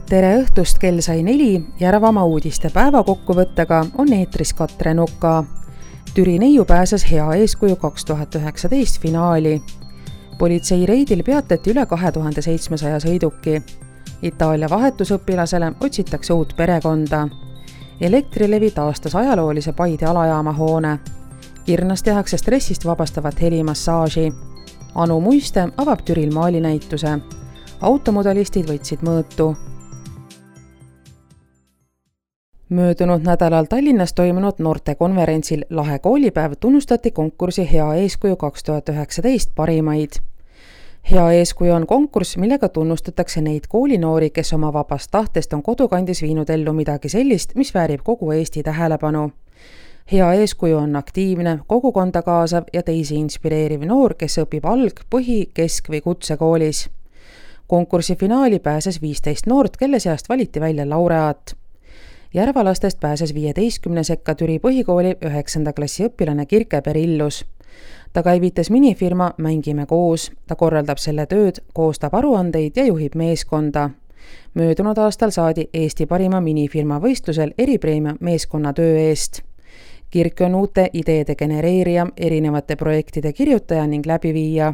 Tere õhtust, kell sai 4, Järvamaa uudiste päevakokkuvõttega on eetris Katre Nuka. Türi neiu pääses hea eeskuju 2019 finaali. Politsei reidil peatati üle 2700 sõiduki. Itaalia vahetusõpilasele otsitakse uut perekonda. Elektrilevi taastas ajaloolise Paide alajaama hoone. Kirnas tehakse stressist vabastavat helimassaaži. Anu Muiste avab Türil maalinäituse. Automodelistid võtsid mõõtu. Möödunud nädalal Tallinnas toimunud noortekonverentsil Lahe koolipäev tunnustati konkursi Hea eeskuju 2019 parimaid. Hea eeskuju on konkurss, millega tunnustatakse neid koolinoori, kes oma vabast tahtest on kodukandis viinud ellu midagi sellist, mis väärib kogu Eesti tähelepanu. Hea eeskuju on aktiivne, kogukonda kaasav ja teisi inspireeriv noor, kes õpib alg-, põhi-, kesk- või kutsekoolis. Konkursi finaali pääses 15 noort, kelle seast valiti välja laureaat. Järvalastest pääses 15 sekka Türi põhikooli 9. klassi õpilane Kirke Perillus. Ta käivitas minifirma Mängime koos, ta korraldab selle tööd, koostab aruandeid ja juhib meeskonda. Möödunud aastal saadi Eesti parima minifirma võistlusel eripreemia meeskonna töö eest. Kirke on uute ideede genereerija, erinevate projektide kirjutaja ning läbiviija.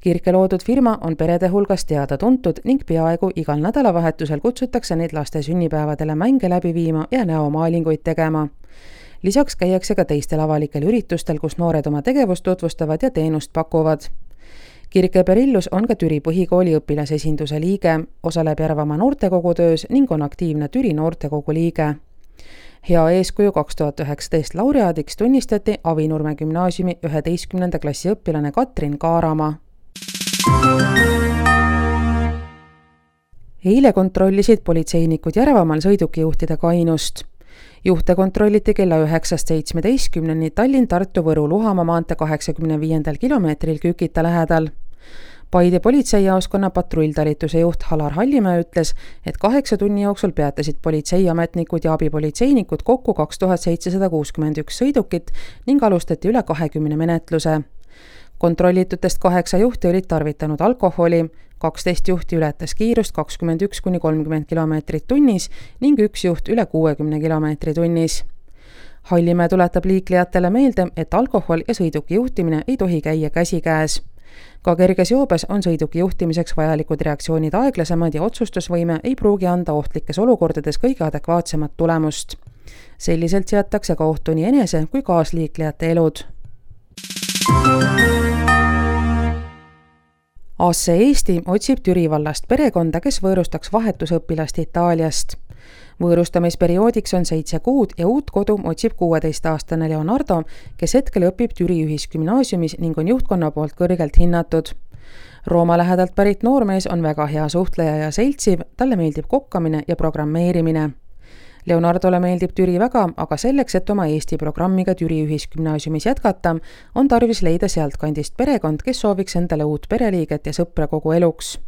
Kirke loodud firma on perede hulgas teada tuntud ning peaaegu igal nädalavahetusel kutsutakse neid laste sünnipäevadele mänge läbi viima ja näomaalinguid tegema. Lisaks käiakse ka teistel avalikel üritustel, kus noored oma tegevust tutvustavad ja teenust pakuvad. Kirke Perillus on ka Türi põhikooli õpilasesinduse liige, osaleb Järvamaa noortekogu töös ning on aktiivne Türi noortekogu liige. Hea eeskuju 2019 laureaadiks tunnistati Avinurme gümnaasiumi 11. klassi õpilane Katrin Kaaramaa. Eile kontrollisid politseinikud Järvamaal sõidukijuhtide kainust. Juhte kontrolliti kella 9:17 Tallinn-Tartu-Võru Luhamaa maantee 85. kilomeetril Kükita lähedal. Paide politseijaoskonna patrulltalituse juht Halar Hallimäe ütles, et 8 tunni jooksul peatasid politseiametnikud ja abipolitseinikud kokku 2761 sõidukit ning alustati üle 20 menetluse. Kontrollitutest 8 juhti olid tarvitanud alkoholi, 12 juhti ületas kiirust 21–30 kilomeetrit tunnis ning 1 juht üle 60 kilomeetri tunnis. Hallimäe tuletab liiklejatele meelde, et alkohol ja sõiduki juhtimine ei tohi käia käsikäes. Ka kerges joobes on sõiduki juhtimiseks vajalikud reaktsioonid aeglasemad ja otsustusvõime ei pruugi anda ohtlikes olukordades kõige adekvaatsemat tulemust. Selliselt seatakse ka ohtu nii enese kui kaasliiklejate elud. Asse Eesti otsib Türi vallast perekonda, kes võõrustaks vahetusõpilast Itaaliast. Võõrustamisperioodiks on 7 kuud ja uut kodu otsib 16-aastane Leonardo, kes hetkel õpib Türi ühisgümnaasiumis ning on juhtkonna poolt kõrgelt hinnatud. Rooma lähedalt pärit noormees on väga hea suhtleja ja seltsiv, talle meeldib kokkamine ja programmeerimine. Leonardole meeldib Türi väga, aga selleks, et oma Eesti programmiga Türi ühisgümnaasiumis jätkata, on tarvis leida sealtkandist perekond, kes sooviks endale uut pereliiget ja sõpra kogu eluks.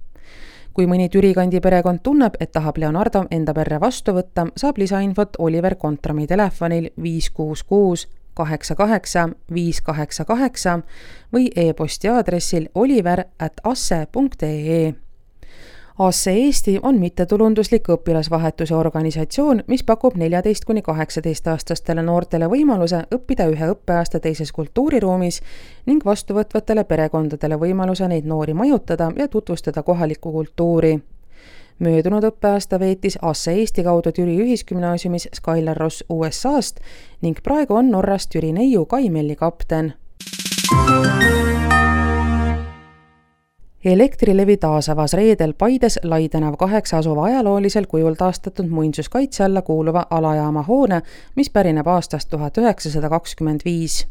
Kui mõni Türi kandi perekond tunneb, et tahab Leonardo enda perre vastu võtta, saab lisainfot Oliver Kontrami telefonil 566 88 588 või e-posti aadressil oliver@asse.ee. Asse Eesti on mittetulunduslik õpilasvahetuse organisatsioon, mis pakub 14–18-aastastele noortele võimaluse õppida ühe õppeaasta teises kultuuriruumis ning vastuvõtvatele perekondadele võimaluse neid noori majutada ja tutvustada kohalikku kultuuri. Möödunud õppeaasta veetis Asse Eesti kaudu Türi ühisgümnaasiumis Skylar Ross USA-st ning praegu on Norrast Türi neiu Kai-Melli kapten. Elektrilevi taasavas reedel Paides Laidenav 8 asuva ajaloolisel kujul taastatud muinsuskaitse alla kuuluva alajaama hoone, mis pärineb aastast 1925.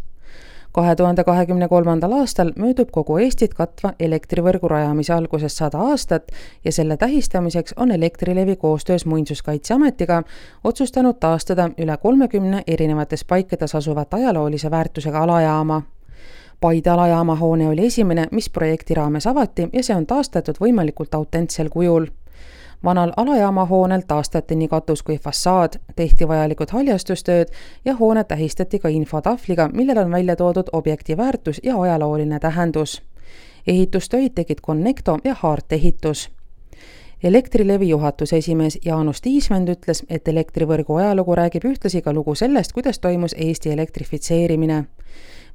2023. aastal möödub kogu Eestit katva elektrivõrgu rajamise algusest 100 aastat ja selle tähistamiseks on Elektrilevi koostöös Muinsuskaitseametiga otsustanud taastada üle 30 erinevates paikades asuvat ajaloolise väärtusega alajaama. Paide alajaama hoone oli esimene, mis projekti raames avati ja see on taastatud võimalikult autentsel kujul. Vanal alajaama hoonel taastati nii katus kui fassaad, tehti vajalikud haljastustööd ja hoone tähistati ka infotahvliga, millel on välja toodud objekti väärtus ja ajalooline tähendus. Ehitustöid tegid Connecto ja Haart ehitus. Elektrilevi juhatuse esimees Jaanus Tiismänd ütles, et elektrivõrgu ajalugu räägib ühtlasi ka lugu sellest, kuidas toimus Eesti elektrifitseerimine.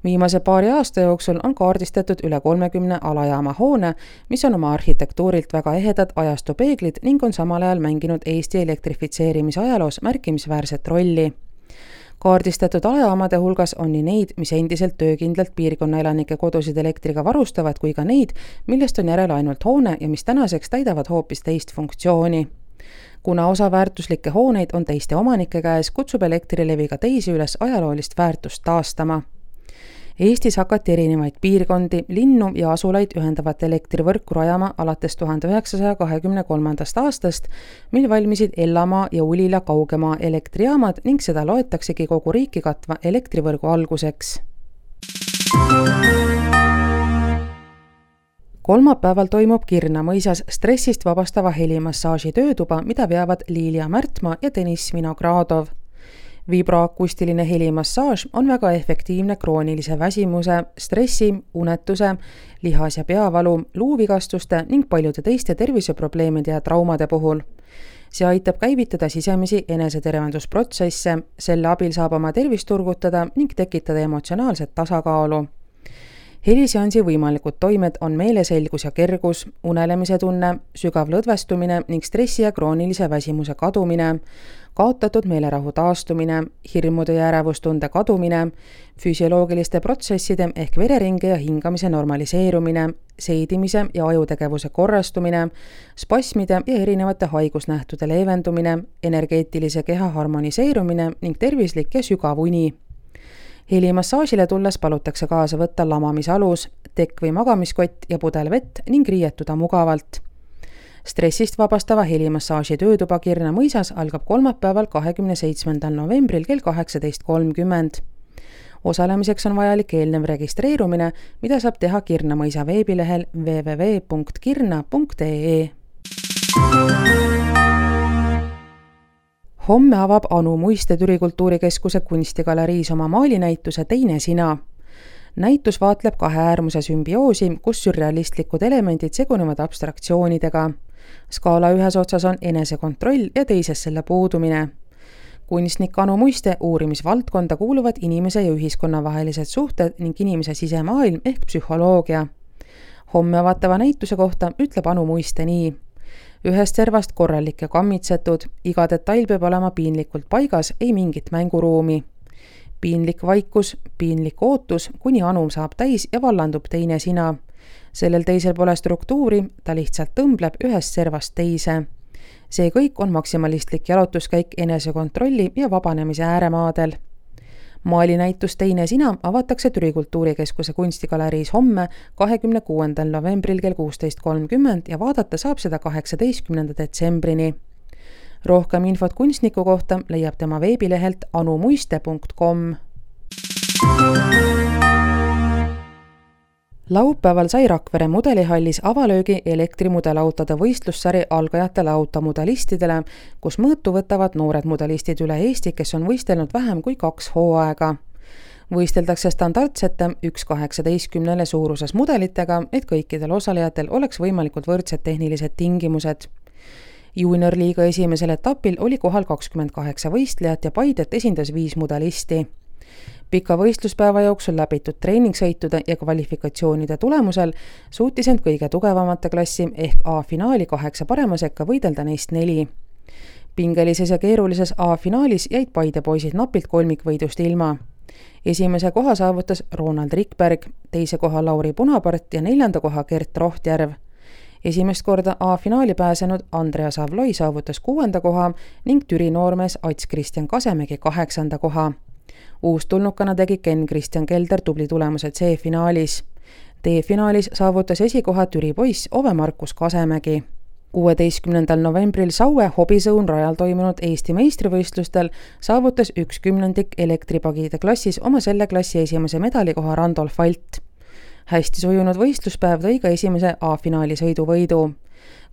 Viimase paari aasta jooksul on kaardistatud üle 30 alajaama hoone, mis on oma arhitektuurilt väga ehedad ajastupeeglid ning on samal ajal mänginud Eesti elektrifitseerimise ajaloos märkimisväärset rolli. Kaardistatud alajaamade hulgas on nii neid, mis endiselt töökindlalt piirkonna elanike kodusid elektriga varustavad, kui ka neid, millest on järel ainult hoone ja mis tänaseks täidavad hoopis teist funktsiooni. Kuna osa väärtuslikke hooneid on teiste omanike käes, kutsub Elektrilevi ka teisi üles ajaloolist väärtust taastama. Eestis hakati erinevaid piirkondi, linnu ja asulaid ühendavat elektrivõrku rajama alates 1923. aastast, mil valmisid Ellamaa ja Ulila kaugemaa elektrijaamad ning seda loetaksegi kogu riiki katva elektrivõrgu alguseks. Kolmapäeval toimub Kirna mõisas stressist vabastava helimassaaži töötuba, mida veavad Liilia Märtmaa ja Deniss Vinogradov. Vibroakustiline helimassaaž on väga efektiivne kroonilise väsimuse, stressi, unetuse, lihas- ja peavalu, luuvigastuste ning paljude teiste terviseprobleemide ja traumade puhul. See aitab käivitada sisemisi enesetervendusprotsesse, selle abil saab oma tervist turgutada ning tekitada emotsionaalset tasakaalu. Heliseansi võimalikud toimed on meeleselgus ja kergus, unelemise tunne, sügav lõdvestumine ning stressi ja kroonilise väsimuse kadumine, kaotatud meelerahu taastumine, hirmude ja ärevustunde kadumine, füsioloogiliste protsesside ehk vereringe ja hingamise normaliseerumine, seidimise ja ajutegevuse korrastumine, spasmide ja erinevate haigusnähtude leevendumine, energeetilise keha harmoniseerumine ning tervislik ja sügav uni. Helimassaasile tulles palutakse kaasa võtta lamamisalus, tekk või magamiskott ja pudel vett ning riietuda mugavalt. Stressist vabastava helimassaaži töötuba Kirna mõisas algab kolmapäeval 27. novembril kell 18.30. Osalemiseks on vajalik eelnev registreerumine, mida saab teha Kirna mõisa veebilehel www.kirna.ee. Homme avab Anu Muiste Türi Kultuurikeskuse kunstigaleriis oma maalinäituse Teine sina. Näitus vaatleb kahe äärmuse sümbioosi, kus sürrealistlikud elemendid segunevad abstraktsioonidega. Skaala ühes otsas on enesekontroll ja teises selle puudumine. Kunstnik Anu Muiste uurimisvaldkonda kuuluvad inimese ja ühiskonna vahelised suhted ning inimese sisemaailm ehk psühholoogia. Homme avatava näituse kohta ütleb Anu Muiste nii. Ühest servast korralik ja kammitsetud, iga detail peab olema piinlikult paigas, ei mingit mänguruumi. Piinlik vaikus, piinlik ootus, kuni Anu saab täis ja vallandub teine sina. Sellel teisel pole struktuuri, ta lihtsalt tõmbleb ühest servast teise. See kõik on maksimalistlik jalutuskäik enesekontrolli ja vabanemise ääremaadel. Maalinäitus Teine sina avatakse Türi Kultuurikeskuse kunstigaleriis homme 26. novembril kell 16.30 ja vaadata saab seda 18. detsembrini. Rohkem infot kunstniku kohta leiab tema veebilehelt anumuiste.com. Laupäeval sai Rakvere mudelihallis avalöögi elektrimudelautode võistlussari algajatele automudalistidele, kus mõõtu võtavad noored mudalistid üle Eesti, kes on võistelnud vähem kui 2 hooaega. Võisteldakse standardsete 1/18 suuruses mudelitega, et kõikidel osalejatel oleks võimalikult võrdsed tehnilised tingimused. Juniorliiga esimesel etapil oli kohal 28 võistlejat ja Paidet esindas 5 mudalisti. Pika võistluspäeva jooksul läbitud treeningsõitude ja kvalifikatsioonide tulemusel suutis end kõige tugevamate klassi ehk A-finaali 8 parema sekka võidelda neist 4. Pingelises ja keerulises A-finaalis jäid Paide poisid napilt kolmikvõidust ilma. Esimese koha saavutas Ronald Rikberg, teise koha Lauri Punapart ja 4. koha Gert Rohtjärv. Esimest korda A-finaali pääsenud Andrea Savloi saavutas 6. koha ning Türi noormees Ats Kristjan Kasemägi 8. koha. Uustulnukana tegi Ken Kristjan Kelder tubli tulemuse C-finaalis. D-finaalis saavutas esikoha Türi poiss Ove Markus Kasemägi. 16. novembril Saue Hobisõun rajal toimunud Eesti meistrivõistlustel saavutas 1/10 elektripagide klassis oma selle klassi esimese medalikoha Randolf Alt. Hästi sujunud võistluspäev tõi ka esimese A-finaali sõiduvõidu.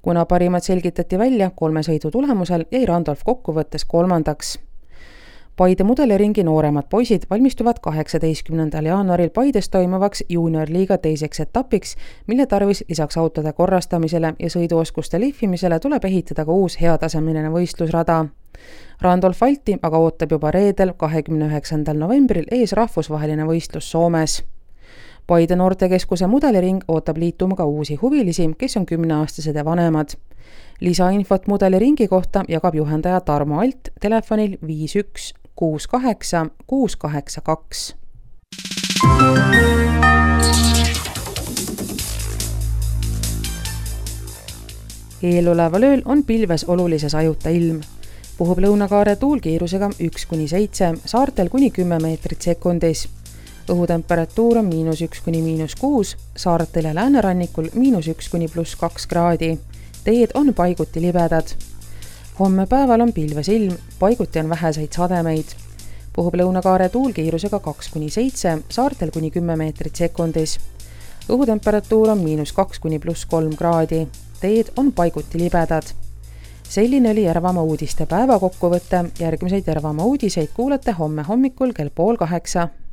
Kuna parimad selgitati välja 3 sõidu tulemusel, jäi Randolf kokkuvõttes 3. Paide mudeliringi nooremad poisid valmistuvad 18. jaanuaril Paides toimuvaks juuniorliiga teiseks etapiks, mille tarvis lisaks autode korrastamisele ja sõiduoskuste lihvimisele tuleb ehitada ka uus heatasemeline võistlusrada. Randolf Alti aga ootab juba reedel 29. novembril ees rahvusvaheline võistlus Soomes. Paide noortekeskuse mudeliring ootab liituma ka uusi huvilisi, kes on 10-aastased ja vanemad. Lisainfot mudeliringi kohta jagab juhendaja Tarmo Alt telefonil 51 68 682. Eeloleval ööl on pilves olulises ajuta ilm. Puhub lõunakaare tuul kiirusega 1-7, saartel kuni 10 meetrit sekundis. Õhutemperatuur on -1––6, saartel ja läänerannikul -1–+2 kraadi. Teed on paiguti libedad. Homme päeval on pilves ilm, paiguti on väheseid sademeid. Puhub lõunakaare tuul kiirusega 2-7, saartel kuni 10 meetrit sekundis. Õhutemperatuur on -2–+3 kraadi. Teed on paiguti libedad. Selline oli Järvamaa uudiste päevakokkuvõte. Järgmiseid Järvamaa uudiseid kuulete homme hommikul kell 7:30.